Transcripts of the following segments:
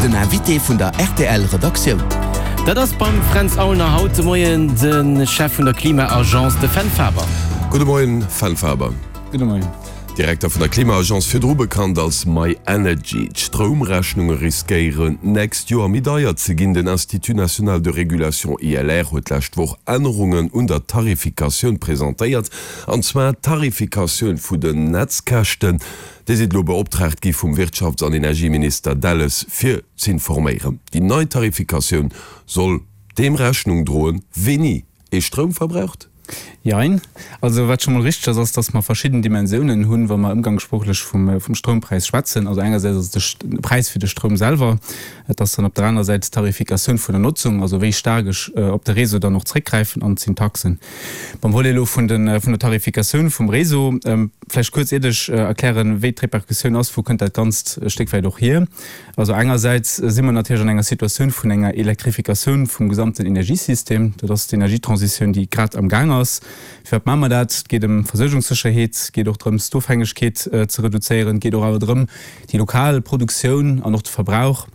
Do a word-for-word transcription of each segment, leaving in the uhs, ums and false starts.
Den Invité vun der R T L Redaktioun. Dat ass beim Fränz Aulner haut de Moien de Chef vun der Klima-Agence, de Fenn Faber. Gudde Moien, Fenn Faber. Gudde Moien. Direkter vun der Klima-Agence, virdru bekannt als myenergy. D'Stroumrechnunge riskéieren d'nächst Joer méi deier ze ginn. Den Institut national de régulation, I L R, huet d'lescht Woch Ännerungen un der Tarifikatioun presentéiert, an zwar d'Tarifikatioun vun den Netzkäschten. Dir sidd elo beoptraagt gi vum Wirtschafts an Energieminister Delles fir z'informéieren. Déi nei Tarifikatioun soll deem Rechnung droen, wéini ee Stroum verbraucht? Jein. Also wat scho mol richteg ass, ass, dass mer verschidden Dimensiounen hunn, wa mer ëmgangssproochlech vum, vum Stroumpräis schwätzen. Also engersäits ass et de Präis fir de Stroum selwer, et ass dann op der anerer Säit d'Tarifikatioun vun der Notzung, also wéi staark ech op de Réseau dann och zréckgräifen, an et sinn d'Taxen. Beim Volet elo vun den, vun der Tarifikatioun vum Réseau, vläicht kuerz iert ech erklären, wéi d'Repercussioun ass, wou kënnt dat Ganzt e Stéck wäit och hier. Also engersäits si mer natierlech an enger Situatioun vun enger Elektrifikatioun vum gesamten Energiesystem. Dat ass d'Energietransitioun, déi grad am Gaang ass. Firwat maache mer dat? Et geet ëm Versuergungssécherheet, et geet och drëms, d'Ofhängegkeet ze reduzéieren, et geet och awer drëm, déi lokal Produktioun an och de Verbrauch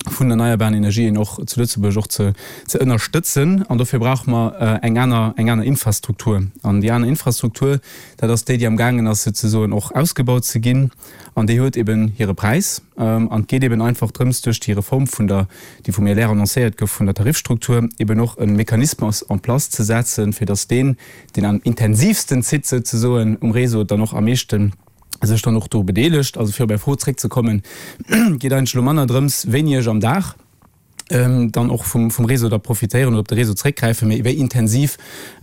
vun erneierbaren Energien och zu Lëtzebuerg och ze ze ënnerstëtzen. An dofir brauche mer eng aner eng aner Infrastruktur. An déi aner Infrastruktur, dat ass déi, déi amgaangen ass souzesoen och ausgebaut ze ginn. An déi huet eben hire Präis. An et geet eben einfach drëms, duerch déi Reform vun der, déi vum I L R annoncéiert gouf, vun der Tarifstruktur, eben och e Mechanismus en place ze setzen, fir datt deen, deen am intensivsten zitt souzesoen um Réseau, dann och am meeschten sech dann och do bedeelegt. Also fir op Är Fro zréckzekommen, geet eigentlech elo manner drëms, wéini ech am Dag dann och vum vum Réseau da profitéieren oder op de Réseau zréckgräifen, mee wéi intensiv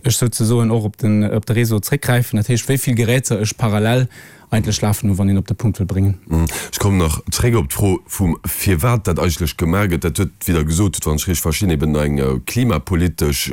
ech souzesoen och op den op de Réseau zréckgräifen, dat heescht wéi vill Geräter ech parallel eigentlech lafen hunn, wann een op de Punkt wëll bréngen. Ech kommen nach zréck op d'Fro vum firwat dat eigentlech gemaach gëtt. Dat huet, wéi Der gesot hutt, wann ech richteg verstinn, eben eng klimapolitesch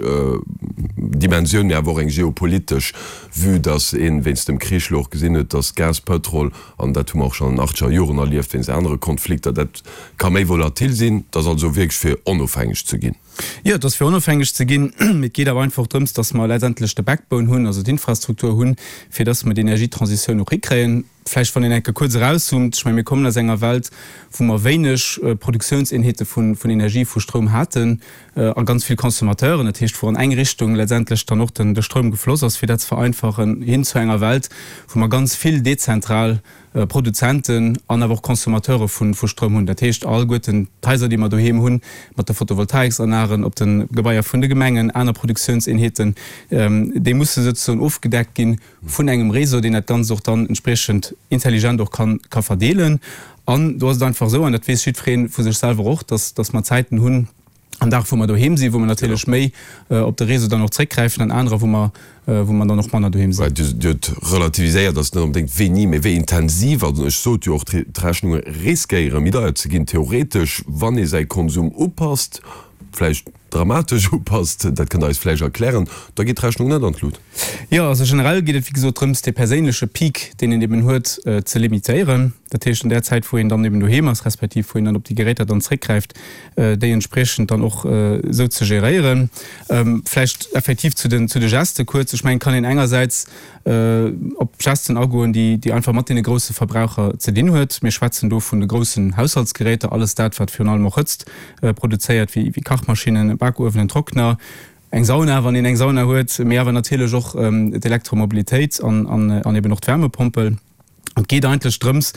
Dimensioun, mee awer och eng geopolitesch, vue dass ee wéinst dem Krich elo och gesinn huet, dass Gas, Pëtrol, an dat hu mer och schonn an den achtzeger Joren erlieft wéinst anere Konflikter, dat ka méi volatil sinn. Dat ass also wierklech fir onofhängeg ze ginn. Jo, et ass fir onofhängeg ze ginn, mee et geet awer einfach drëms, dass mer letztendlech de Backbone hunn, also d'Infrastruktur hunn, fir dass mer d'Energietransitioun och hikréien. Vläicht wann een eng Kéier kuerz erauszoomt, ech mengen, mir kommen aus enger Welt, wou mer wéineg Produktiounseenheete vun Energie, vu Stroum haten a ganz vill Consommateuren, dat heescht, wou an eng Richtung letztendlech dann och de Stroum gefloss ass, fir dat ze vereinfachen, hin zu enger Welt, wou mer ganz vill dezentral Produzenten an awer och Consommateure vu Stroum hunn. Dat heescht, alleguerten d'Haiser, déi mer doheem hunn, mat de Photovoltaiksanlagen op de Gebaier vun de Gemengen, aner Produktiounseenheeten, déi musse souzesoen ofgedeckt ginn vun engem Réseau, deen dat Ganzt och dann entspriechend intelligent och ka verdeelen. An do ass et einfach esou, an dat weess jiddweree vu sech selwer och, dass, dass mer Zäiten hunn am Dag, wou mer doheem sinn, wou mer natierlech méi op de Réseau dann och zréckgräifen, an anerer, wou mer, wou mer dann och manner doheem sinn. Dir hutt relativiséiert, dass et net onbedéngt wéini, mee wéi intensiv, also ech sot jo och, d'Rechnunge riskéiere méi deier ze ginn, theoretesch, wann ee säi Konsum upasst, vläicht dramatesch upasst, dat kënnt Der eis vläicht erklären, da geet d'Rechnung net an d'Lut. Jo, also generell geet et wéi gesot drëms, dee perséinleche Peak, deen een eben huet, ze limitéieren. Dat heescht, an där Zäit, wou een dann eben doheem ass, respektiv wou een dann op déi Geräter dann zréckgräift, déi entspriechend dann och esou ze geréieren. Vläicht effektiv zu den, zu de Geste kuerz. Ech mengen, et kann een engersäits op Gesten agoen, déi, déi einfach mat deene grousse Verbraucher ze dinn huet. Mir schwätzen do vun de groussen Haushaltsgeräter, alles dat, wat virun allem och Hëtzt produzéiert, wéi, wéi Kachmaschinnen, Bakuewenen, Trockner, eng Sauna, wann een eng Sauna huet, mee awer natierlech och d'Elektromobilitéit an, an, an eben och d'Wärmepompel. Et geet eigentlech drëms,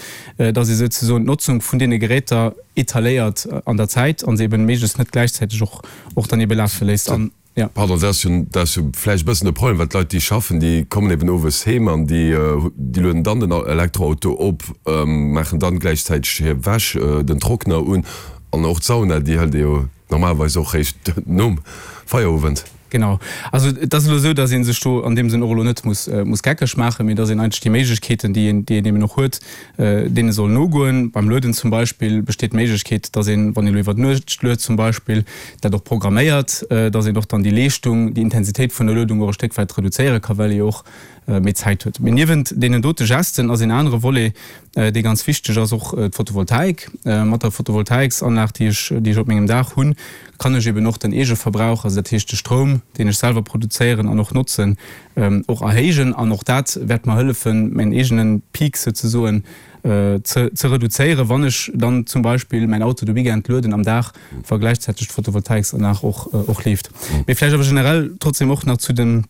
dass ee souzesoen d'Notzung vun deene Geräter etaléiert an der Zäit a se eben méiglechst net gläichzäiteg och, och dann ebe lafe léisst. An, ja. Pardon, dat ass jo, dat ass jo vläicht e bëssen de Problem, well d'Leit, déi schaffen, déi kommen eben owes heem an déi, déi lueden dann den Elektroauto op, maachen dann gläichzäiteg hir Wäsch, den Trockner un an och d'Sauna, déi hëlt ee jo normalerweis och réischt nom Feierowend. Genau. Also et ass elo esou, datt ee sech do an deem Sënn och elo net muss, muss geckeg maachen, mee datt een eigentlech déi Méiglechkeeten, déi een, déi een eben och huet, deene soll nogoen. Beim Lueden zum Beispill besteet d'Méiglechkeet, datt een, wann een elo iwwer d'Nuecht luet zum Beispill, dat och programméiert, datt een och dann déi Leeschtung, déi Intensitéit vun der Luedung och e Stéck wäit reduzéiere ka well ee jo och méi Zäit huet. Mee niewent deenen dote Gesten ass een anere Volet, dee ganz wichteg ass, och d'Photovoltaik. Mat der Photovoltaiksanlag, déi ech, déi ech op mengem Daach hunn, kann ech eben och den Eegeverbrauch, also dat heescht de Stroum, deen ech selwer produzéieren an och notzen, och erhéijen. An och dat wäert mer hëllefen, mäin eegene Peak souzesoen ze ze reduzéieren, wann ech dann zum Beispill mäin Auto de Weekend lueden am Dag, wa gläichzäiteg d'Photovoltaiksanlag och och leeft. Mee vläicht awer generell trotzdem och nach zu den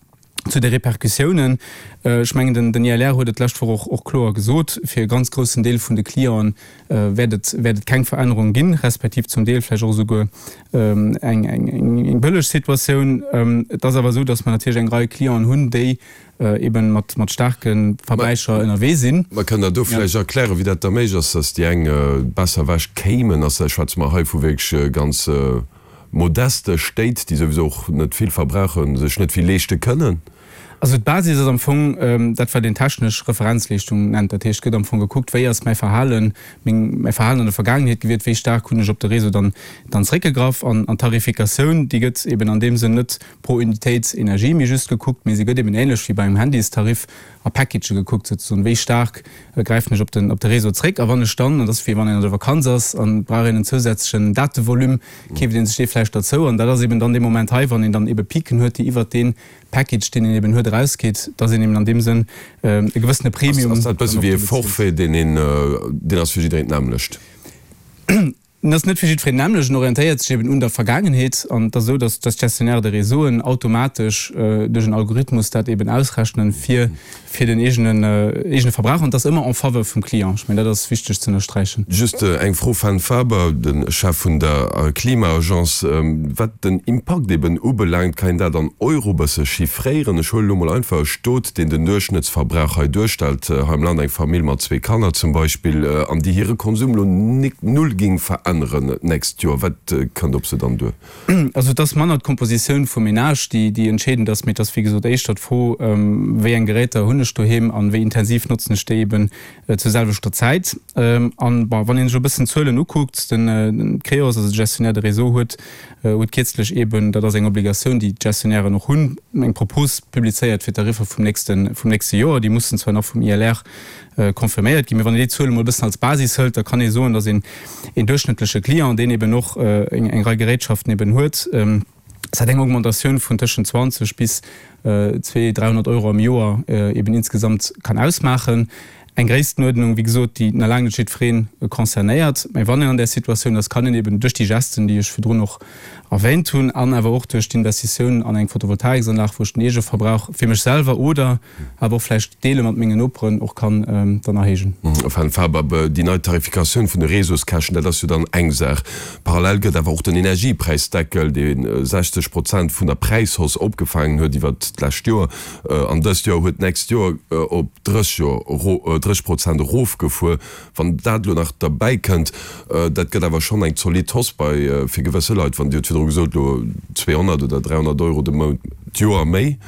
zu de Repercussiounen. Ech mengen, den den I L R huet et d'lescht Woch och och kloer gesot, fir e ganz groussen Deel vun de Clienten wäert et wäert et keng Verännerung ginn, respektiv zum Deel vläicht och esouguer eng eng eng bëlleg Situatioun. Et ass awer esou, datt mer natierlech eng Rei Clienten hunn, déi eben mat mat staarke Verbräicher ënnerwee sinn. Mä kënnt Der do vläicht erklären, wéi dat da méiglech ass, datt déi eng besser ewech kéimen? Ass, schwätze mer hei vu wierklech ganz modeste Stéit, déi souwisou och net vill verbrauchen, sech net vill leeschte kënnen? Also d'Basis ass am Fong dat, wat een technesch Referenzleeschtung nennt. Dat heescht, et gëtt am Fong gekuckt, wéi ass mäi Verhalen, meng, mäi Verhalen an der Vergaangenheet gewiert, wéi staark hunn ech op de Réseau dann, dann zréckgegraff. An, an d'Tarifikatioun, déi gëtt eben an deem Sënn net pro Unitéit Energie méi just gekuckt, mee se gëtt eben ähnlech wéi beim Handystarif a Packagë gekuckt, souzesoen, wéi staark gräifen ech op den, op de Réseau zréck. A wann ech dann, an dat ass wéi wann een an der Vakanz ass an et brauch een en zousätzlechen Datevolume, keeft ee sech dee vläicht derzou. An dat ass eben dann dee Moment hei, wann een dann ebe Piquen huet, déi iwwert dee Package, deen een eben huet, erausgeet, dass een eben an deem Sënn e gewëssene Premium Ass dat e bësse wéi e Forfait, deen een, deen ass fir jiddereen d'nämmlecht? En ass net fir jiddwereen d'nämmlecht, en orientéiert sech eben un der Vergaangenheet. An et ass esou, dass d'Gestionnaires de réseauen automatesch duerch en Algorithmus dat eben ausrechnen fir fir den eegenen eegene Verbrauch. An et ass ëmmer en faveur vum Client. Ech mengen, dat ass wichteg ze ënnersträichen. Just eng Fro, Fenn Faber, de Chef vun der Klima-Agence. Wat den Impakt eben ubelaangt, kann een dat an Euro bësse chiffréieren? Ech huelen elo mol einfach e Stot, deen den Duerchschnëttsverbrauch hei duerstellt, hei am Land, eng Famill mat zwee Kanner zum Beispill, an déi hire Konsum elo null géing veränneren d'nächst Joer. Wat kënnt op se dann duer? Also et ass manner d'Kompositioun vum Menage, déi déi entscheedend ass, mee et ass wéi gesot éischter d'Fro, wéi eng Geräter hunn ech doheem an wéi intensiv notzen ech déi eben zur selwechter Zäit. An bon, wann een sech e bëssen d'Zuelen ukuckt, den Creos, also de Gestionnaire de réseau, huet huet kierzlech eben, dat ass eng Obligatioun, déi d'Gestionnairen och hunn, eng Propos publizéiert fir d'Tariffer vum nächste vum nächste Joer. Déi mussen zwar nach vum I L R confirméiert ginn, mee wann een déi Zuele mol e bëssen als Basis hëlt, da kann ee soen, datt een een duerchschnëttleche Client, deen eben och eng eng Rei Gerätschaften eben huet, dat eng Augmentatioun vun tëschent zwanzeg bis zwee, dräihonnert Euro am Joer eben insgesamt kann ausmaachen. Eng Gréisstenuerdnung, wéi gesot, déi nach laang net jiddweree concernéiert. Mä wann een an där Situatioun ass, kann een eben duerch déi Gesten, déi ech virdrun och erwähnt hunn, an awer och duerch d'Investitioun an eng Photovoltaiksanlag, wou ech den Eegeverbrauch fir mech selwer oder awer och vläicht deele mat mengen Noperen och kann dann erhéijen. Enfin, Faber, déi nei Tarifikatioun vun de Réseauskäschten, dat ass jo dann eng Saach. Parallel gëtt awer och den Energiepräisdeckel, dee sechzeg Prozent vun der Präishausse opgefaangen huet iwwert d'lescht Joer an dëst Joer, huet d'nächst Joer op drësseg Joer, drësseg Prozent erofgefuer. Wann dat elo nach derbäi kënnt, dat gëtt awer schonn eng zolidd Hausse bei fir gewësse Leit. Wann, Dir hutt virdru gesot, elo zweehonnert oder dräihonnert Euro de Mount, d'Joer méi,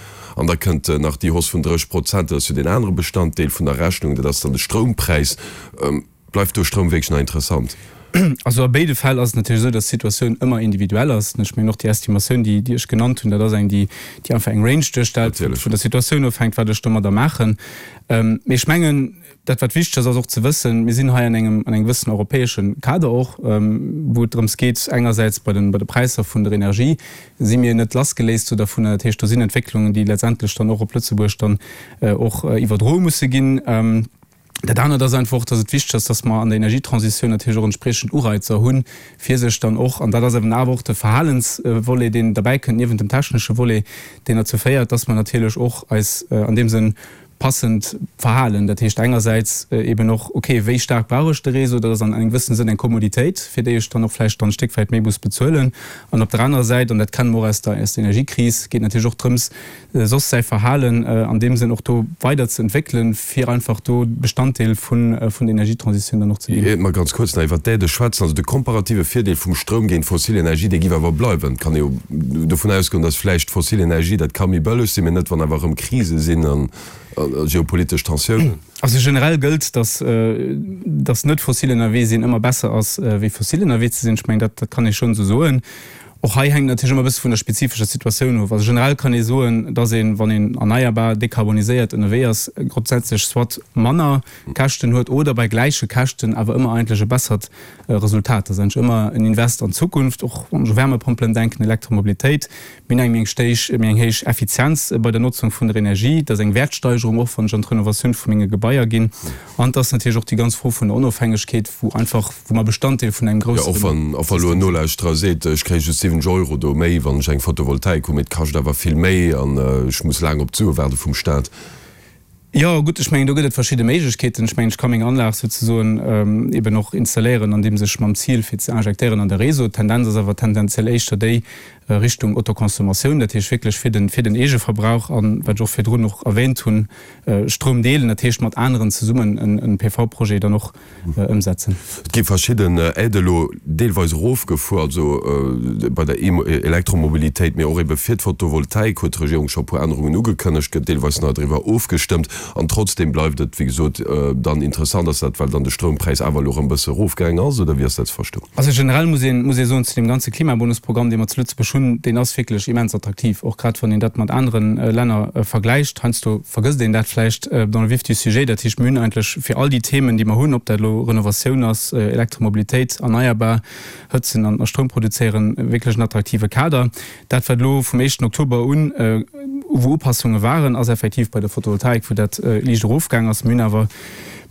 an da kënnt nach déi Hausse vun drësseg Prozent, dat ass jo deen anere Bestanddeel vun der Rechnung, dat ass dann de Stroumpräis. Bleift do Stroum wierklech nach interessant? Also a béide Fäll ass et natierlech esou, dass d'Situatioun ëmmer individuell ass. Ech mengen och déi Estimatioun, déi déi ech genannt hunn, dat ass eng, déi déi einfach eng Range duerstellt, vun der Situatioun ofhänkt, wat ech domadder maachen. Mee ech mengen, dat wat wichteg ass, ass och ze wëssen, mir sinn hei an engem an engem gewëssen europäesche Kader och, wou et drëms geet, engersäits bei den bei de Präisser vun der Energie si mir net lassgeléist sou dovunner. Dat heescht, do sinn Entwécklungen, déi letztendlech dann och op Lëtzebuerg dann och iwwerdroe musse ginn. Dat anert ass einfach och, dass et wichteg ass, dass mer an der Energietransitioun natierlech och entspriechend Ureizer hunn, fir sech dann och, an dat ass eben awer och de Verhalensvolet, deen derbäikënnt niewent dem technesche Volet, deen derzou féiert, dass mer natierlech och eis an deem Sënn passend verhalen. Dat heescht engersäits eben och, okay, wéi staark brauch ech de Réseau? Dat ass an engem gewëssene Sënn eng Kommoditéit, fir déi ech dann och vläicht dann e Stéck wäit méi muss bezuelen. An op der anerer Säit, an dat kenne mer och aus der aus der Energiekris, geet natierlech och drëms, soss säi Verhalen an deem Sënn och do weider ze entwéckelen, fir einfach do Bestanddeel vun vun der Energietransitioun dann och ze ginn. Iert mer ganz kuerz nach iwwert d'Aidë schwätzen, also de komparative Virdeel vum Stroum géint fossil Energie, dee giff awer bleiwen. Et kann ee jo dovun ausgoen, datt vläicht fossil Energie, dat ka méi bëlleg sinn, mee net wann awer erëm Krise sinn an geopolitesch Tensiounen. Also generell gëllt, datt datt net fossil ënnerwee sinn ëmmer besser ass wéi fossil ënnerwee ze sinn. Ech mengen, dat dat kann ee schonn esou soen. Och hei hänkt natierlech ëmmer e bësse vun der spezifescher Situatioun of. Also generell kann ee soen, dass een, wann een erneierbar, dekarboniséiert ënnerwee ass, grondsätzlech soit manner Käschten huet oder bei gläiche Käschten awer ëmmer eigentlech e bessert Resultat. Dat ass eigentlech ëmmer en Invest an d'Zukunft, och wann ech u Wärmepompelen denken, Elektromobilitéit. Mir hunn eng méi eng stéich, méi eng héich Effizienz bei der Notzung vun der Energie. Dat ass eng Wäertsteigerung och, wann ech an d'Renovatioun vu menge Gebaier ginn. An et ass natierlech och déi ganz Fro vun der Onofhängegkeet, wou einfach, wou mer Bestanddeel vun engem Jo, och groussere wann, och wa elo en System sinn. Nolauschterer seet, ech kréie just siwwenzeg Euro do méi, wann ech eng Photovoltaik hunn, mee et kascht awer vill méi an ech muss laang op d'Sue waarde vum Staat. Jo, gutt, ech mengen, do gëtt et verschidde Méiglechkeeten. Ech mengen, ech ka meng Anlag souzesoen eben och installéieren, andeems ech mam Zil, fir ze injektéieren an de Réseau. D'Tendenz ass awer tendenziell éischter déi Richtung Autoconsommatioun, dat heescht wierklech fir den, fir den Eegeverbrauch an, wat ech och virdrun och erwähnt hunn, Stroum deelen, dat heescht mat aneren zesummen en P V-Projet dann och ëmsetzen. Et gi verschidden Aidë elo deelweis erofgefuer, also bei der Elektromobilitéit, mee och ebe fir d'Photovoltaik huet d'Regierung scho e puer Ännerungen ugekënnegt, gëtt deelweis nach driwwer ofgestëmmt. An trotzdeem bleift et, wéi gesot, dann interessant. Ass dat, well dann de Stroumpräis awer elo erëm e bësse erofgaangen ass, oder wéi ass dat ze verstoen? Also generell muss een, muss ee soen, zu deem ganze Klimabonusprogramm, dee mer zu Lëtzebuerg hunn, deen ass wierklech immens attraktiv, och grad wann een dat mat anere Länner vergläicht. Heiansdo vergësst een dat vläicht dans le vif du sujet. Dat heescht, mir hunn eigentlech fir all déi Themen, déi mer hunn, ob dat elo Renovatioun ass, Elektromobilitéit, erneierbar hëtzen an a Stroum produzéieren, wierklech en attraktive Kader. Dat, wat elo vum éischten Oktober un, wou Upassunge waren, ass effektiv bei der Photovoltaik, wou dat liicht erofgaang ass. Mir hunn awer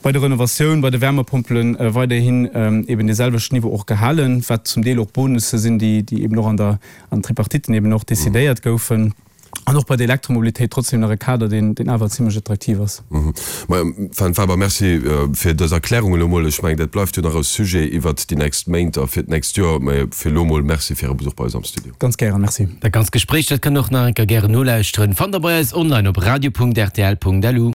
bei der Renovatioun, bei de Wärmepompelen weiderhin eben dee selwechten Niveau och gehalen, wat zum Deel och Bonusse sinn, déi eben och an der an Tripartiten eben och decidéiert goufen. An och bei der Elektromobilitéit trotzdem nach e Kader, deen deen awer zimlech attraktiv ass. Majo, Fenn Faber, Merci fir dës Erklärung elo mol. Ech mengen, dat bleift jo nach e Sujet iwwert déi nächst Méint a fir d'nächst Joer. Mä fir elo mol Merci fir Äre Besuch bei eis am Studio. Ganz gären, Merci. Dat ganzt Gespréich, dat kënnt Der och nach eng Kéier gären nolauschteren. Fannt Der bei eis online op radio.rtl.lu.